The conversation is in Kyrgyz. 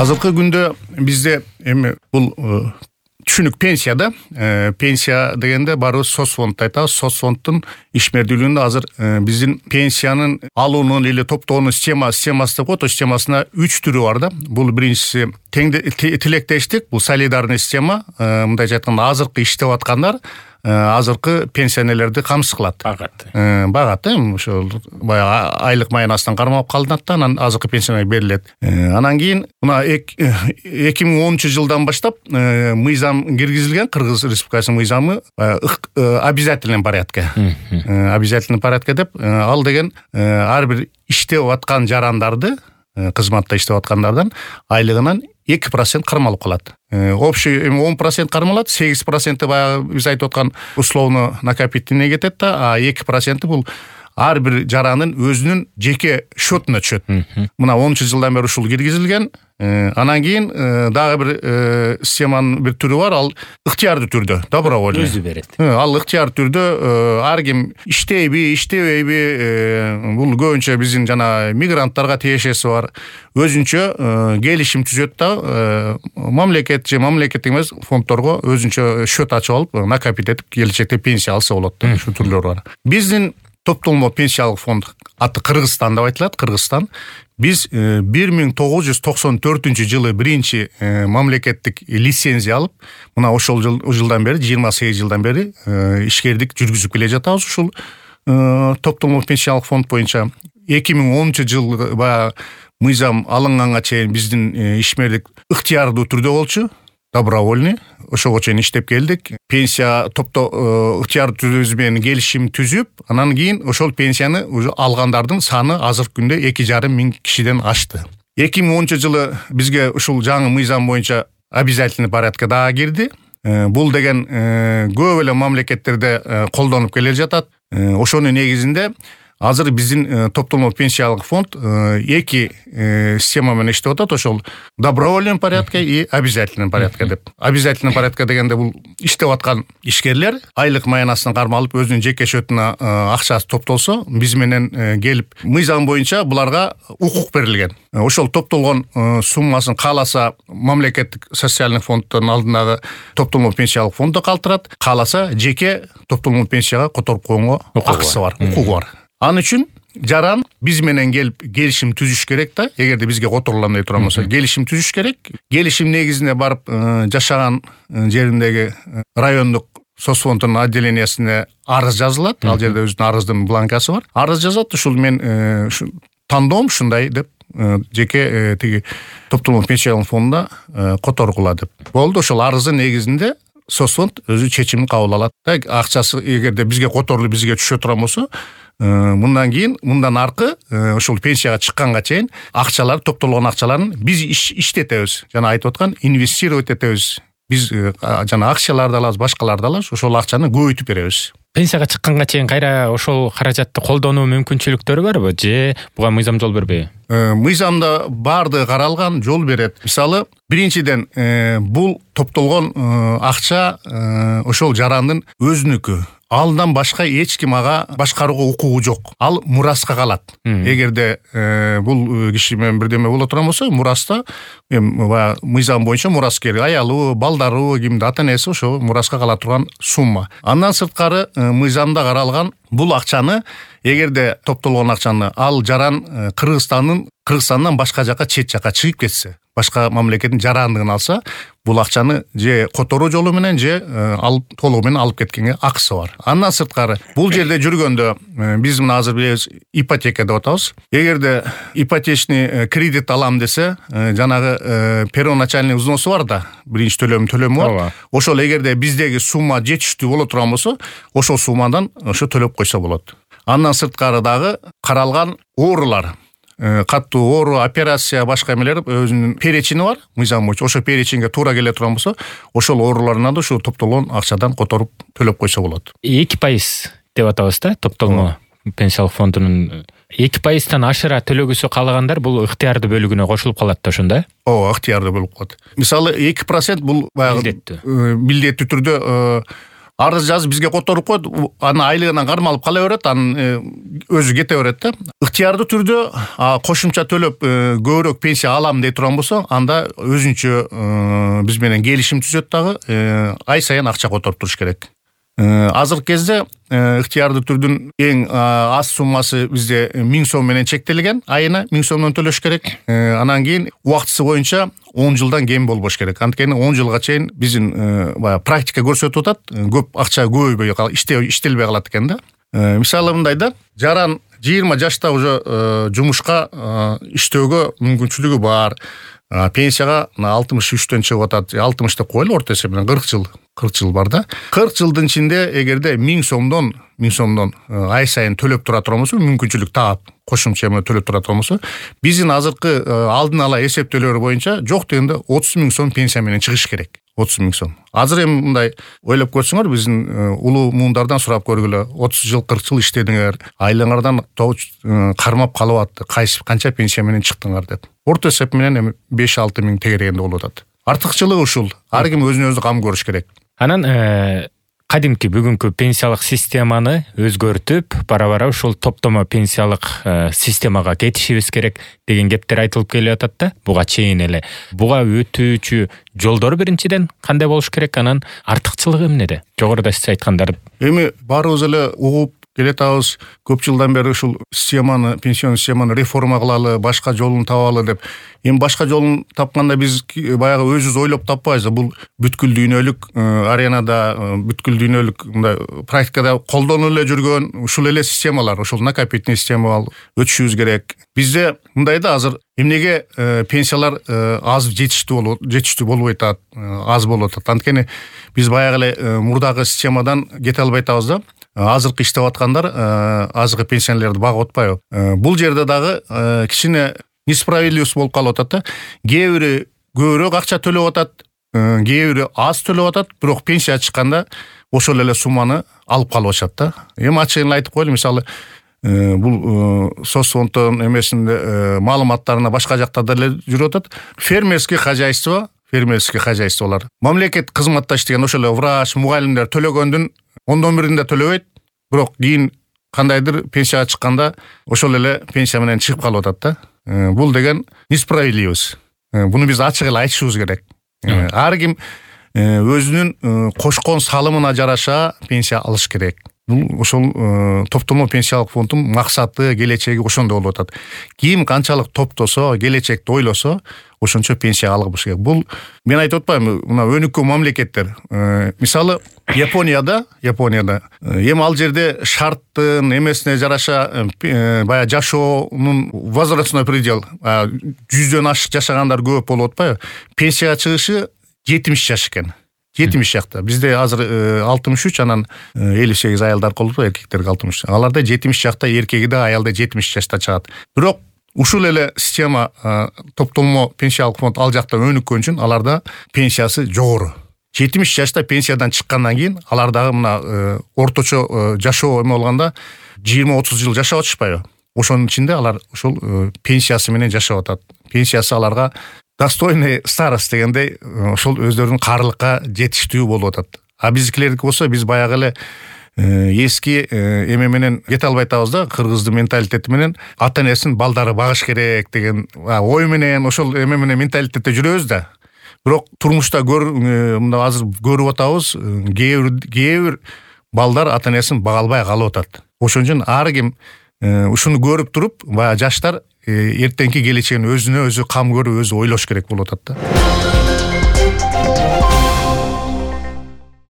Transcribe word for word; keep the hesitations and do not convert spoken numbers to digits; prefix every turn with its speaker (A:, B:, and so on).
A: Азыркы күндө бизде эми бул түшүнүк пенсия да. Пенсия дегенде барыбыз соцфонд айтабыз. Соцфонддун ишмердүүлүгүндө азыр биздин пенсиянын алуунун или топтоонун система системасы деп коет. Системасына үч түрү бар да. Бул биринчиси тилектештик, бул солидарный система. Мындайча айтканда азыркы иштеп аткандар азыркы пенсионерлерди камсыз кылат.
B: Багат.
A: Багат эми ошол баягы айлык маянасынан кармалып калынат да, анан азыркы пенсияга берилет. Анан кийин мына эки миң онунчу жылдан баштап мыйзам киргизилген, Кыргыз Республикасынын мыйзамы обязательный порядке. Обязательный порядке деп, ал деген ар бир иштеп аткан жарандарды, кызматта иштеп аткандардан айлыгынан эки процент кармалып калат. Общий он процент кармалат, сегиз проценти баягы биз айтып аткан условно накопительный кетет да, а эки проценти бул ар бир жаранын өзүнүн жеке счетуна түшөт. Мына онунчу жылдан бери ушул киргизилген. Анан кийин дагы бир системанын бир түрү бар, ал ыктыярдуу түрдө, добровольный.
B: Өзү берет.
A: Ал ыктыяр түрдө ар ким иштейби, иштебейби, бул көбүнчө биздин жана мигранттарга тиешеси бар. Өзүнчө келишим түзөт да, мамлекет же мамлекет эмес фонддорго өзүнчө счет ачып алып, накопить этип келечекте пенсия алса болот. Ушу түрлөр бар. Биздин топтолмо пенсиялык фонд аты Кыргызстан деп айтылат, Кыргызстан. Биз бир миң тогуз жүз токсон төртүнчү жылы биринчи мамлекеттик лицензия алып, мына ошол жылдан бери, жыйырма сегиз жылдан бери ишкердик жүргүзүп келе жатабыз ушул топтолмо пенсиялык фонд боюнча. эки миң онунчу жылы баягы мыйзам алынганга чейин биздин ишмердик ыктыярдуу түрдө болчу, добровольный. Ошого чейин иштеп келдик. Пенсия топто ыктыяр түрүбүз менен келишим түзүп, анан кийин ошол пенсияны уже алгандардын саны азыркы күндө эки жарым миң кишиден ашты. эки миң онунчу жылы бизге ушул жаңы мыйзам боюнча обязательный порядке дагы кирди. Бул деген көп эле мамлекеттерде колдонуп келе жатат. Ошонун негизинде азыр биздин топтолмо пенсиялык фонд эки система менен иштеп атат. Ошол добровольный порядке и обязательный порядке деп. Обязательный порядке дегенде бул иштеп аткан ишкерлер айлык маянасынан кармалып өзүнүн жеке счетуна акчасы топтолсо, биз менен келип мыйзам боюнча буларга укук берилген. Ошол топтолгон суммасын кааласа мамлекеттик социальный фонддун алдындагы топтолмо пенсиялык фонддо калтырат, кааласа жеке топтолмо пенсияга которуп койгонго акысы бар, укугу бар. Ан үчүн жаран биз менен келип келишим түзүш керек да. Эгерде бизге которулам дей турган болсо, келишим түзүш керек. Келишим негизинде барып жашаган жериндеги райондук соцфонддун отделениясына арыз жазылат. Ал жерде өзүнүн арыздын бланкасы бар. Арыз жазат, ушул мен тандоом ушундай деп жеке тиги топтолмо пенсиялык фондуна которгула деп. Болду, ошол арыздын негизинде соцфонд өзү чечимин кабыл алат. Акчасы эгерде бизге которулуп бизге түшө турган болсо, мындан кийин мындан аркы ошол пенсияга чыкканга чейин акчалар, топтолгон акчаларын биз иштетебиз. Жана айтып аткан инвестировать этебиз. Биз жана акцияларды алабыз, башкаларды алабыз, ошол акчаны көбөйтүп беребиз.
B: Пенсияга чыкканга чейин кайра ошол каражатты колдонуу мүмкүнчүлүктөрү барбы же буга мыйзам жол бербейби? Мыйзамда
A: баардыгы каралган, жол берет. Мисалы, биринчиден бул топтолгон акча ошол жарандын өзүнүкү. Алдан башка эч ким ага башкарууга укугу жок. Ал мураска калат. Эгерде бул киши менен бирдеме боло турган болсо, мураста эми мыйзам боюнча мураскер, аялы, балдары, кимде ата-энеси ошо мураска кала турган сумма. Андан сырткары мыйзамда каралган бул акчаны, эгерде топтолгон акчаны ал жаран Кыргызстандын Кыргызстандан башка жака, чет жака чыгып кетсе, башка мамлекеттин жарандыгын алса, бул акчаны же которуу жолу менен же алып толугу менен алып кеткенге акысы бар. Андан сырткары бул жерде жүргөндө биз мына азыр билебиз ипотека деп атабыз. Эгерде ипотечный кредит алам десе, жанагы первоначальный взносу бар да, биринчи төлөм төлөмү бар. Ошол эгерде биздеги сумма жетиштүү боло турган болсо, ошол суммадан ошо төлөп койсо болот. Андан сырткары дагы каралган оорулар, каттуу оору, операция, башка эмелер өзүнүн перечини бар, мыйзам боюнча. Ошо перечинге туура келе турган болсо, ошол ооруларына да ушу топтолгон акчадан которуп төлөп койсо болот.
B: эки пайыз деп атабыз да, топтолмо пенсиялык фондунун эки пайыздан ашыра төлөгүсү каалагандар бул ыктыярдуу бөлүгүнө кошулуп калат да, ошондо?
A: Ооба, ыктыярдуу болуп калат. Мисалы, эки процент бул баягы милдеттүү түрдө арыз жазып бизге которуп коет, анын айлыгынан кармалып кала берет, анын өзү кете берет да. Ыктыярдуу түрдө кошумча төлөп көбүрөөк пенсия алам дей турган болсо, анда өзүнчө биз менен келишим түзөт дагы, ай сайын акча которуп туруш керек. Азыркы кезде ыктыярдуу түрдүн эң аз суммасы бизде миң сом менен чектелген, айына миң сомдон төлөш керек. Анан кийин убактысы боюнча он жылдан кем болбош керек. Анткени он жылга чейин биздин баягы практика көрсөтүп атат, көп акча көбөйбөй иштелбей калат экен да. Мисалы мындай да, жаран жыйырма жашта уже жумушка иштөөгө мүмкүнчүлүгү бар. Пенсияга алтымыш үчтөн чыгып атат, алтымыш деп коелу, орто эсеп менен кырк жыл, кырк жыл бар да. кырк жылдын ичинде эгерде миң сомдон, миң сомдон ай сайын төлөп тура турган болсо, мүмкүнчүлүк таап кошумча менен төлөп тура турган болсо, биздин азыркы алдын ала эсептөөлөр боюнча жок дегенде отуз миң сом пенсия менен чыгыш керек. отуз миң сом. Азыр эми мындай ойлоп көрсөңөр, биздин улуу муундардан сурап көргүлө, отуз жыл, кырк жыл иштедиңер, айлыңардан кармап калып атты, кайсы канча пенсия менен чыктыңар деп. Орто эсеп менен эми беш алты миң тегерегенде болуп атат. Артыкчылыгы ушул. Ар ким өзүнө өзү кам көрүш керек.
B: Анан кадимки бүгүнкү пенсиялык системаны өзгөртүп, бара-бара ушул топтомо пенсиялык системага кетишибиз керек деген кептер айтылып келип атат да, буга чейин эле. Буга өтүүчү жолдор биринчиден кандай болуш керек, анан артыкчылыгы эмнеде? Жогоруда сиз айткандарды.
A: Эми баарыбыз эле угуп келетабыз, көп жылдан бери ушул системаны, пенсион системаны реформа кылалы, башка жолун табалы деп. Эми башка жолун тапканда биз баягы өзүбүз ойлоп таппайбыз. Бул бүткүл дүйнөлүк аренада, бүткүл дүйнөлүк мындай практикада колдонулуп эле жүргөн ушул эле системалар, ушул накопительный система өтүшүбүз керек. Бизде мындай да, азыр эмнеге пенсиялар аз жетиштүү болот, жетиштүү болбой атат, аз болуп атат. Анткени биз баягы эле мурдагы системадан кете албай атабыз да. Азыркы иштеп аткандар азыркы пенсионерлерди багып атпайбы? Бул жерде дагы кичине несправедливость болуп калып атат да. Кээ бири көбүрөөк акча төлөп атат, кээ бири аз төлөп атат, бирок пенсия чыкканда ошол эле сумманы алып калып атышат да. Эми ачыгын айтып коелу, мисалы бул соцфонддун эмесинде маалыматтарына башка жактарда эле жүрүп атат. Фермерский хозяйство, фермерский хозяйстволор. Мамлекет кызматта иштеген ошол эле врач, мугалимдер төлөгөндүн ондон биринде төлөбөйт, бирок кийин кандайдыр пенсияга чыкканда ошол эле пенсия менен чыгып калып атат да. Бул деген несправедливость. Буну биз ачык эле айтышыбыз керек. Ар ким өзүнүн кошкон салымына жараша пенсия алыш керек. Бул ошол топтомо пенсиялык фонддун максаты, келечеги ошондо болуп атат. Ким канчалык топтосо, келечекти ойлосо, ошончо пенсия алыш керек. Бул мен айтып атпаймынбы, мына өнүккөн мамлекеттер. Мисалы Японияда, Японияда эми ал жерде шарттын эмесине жараша баягы жашоонун возрастной предел, жүздөн ашык жашагандар көп болуп атпайбы? Пенсияга чыгышы жетимиш жаш экен. жетимиш жакта. Бизде азыр алтымыш үч, анан элүү сегиз аялдар калып, эркектерге алтымыш. Аларда жетимиш жакта, эркеги да, аял да жетимиш жашта чыгат. Бирок ушул эле система, топтолмо пенсиялык фонд ал жакта өнүккөн үчүн аларда пенсиясы жогору. жетимиш жашта пенсиядан чыккандан кийин алар дагы мына орточо жашоо эме болгондо жыйырма отуз жыл жашап атышпайбы? Ошонун ичинде алар ушул пенсиясы менен жашап атат. Пенсиясы аларга достойный старость дегендей ошол өздөрүнүн карылыкка жетиштүү болуп атат. А биздикилердики болсо биз баягы эле эски эме менен кете албай атабыз да, кыргыздын менталитети менен ата-энесин балдары багыш керек деген ой менен ошол эме менен менталитетте жүрөбүз да. Бирок турмушта көр, мында азыр көрүп атабыз, кээ бир кээ бир балдар ата-энесин бага албай калып атат. Ошон үчүн ар ким ушуну көрүп туруп, баягы жаштар эртеңки келечегин өзүнө өзү кам көрүп, өзү ойлош керек болуп атат да.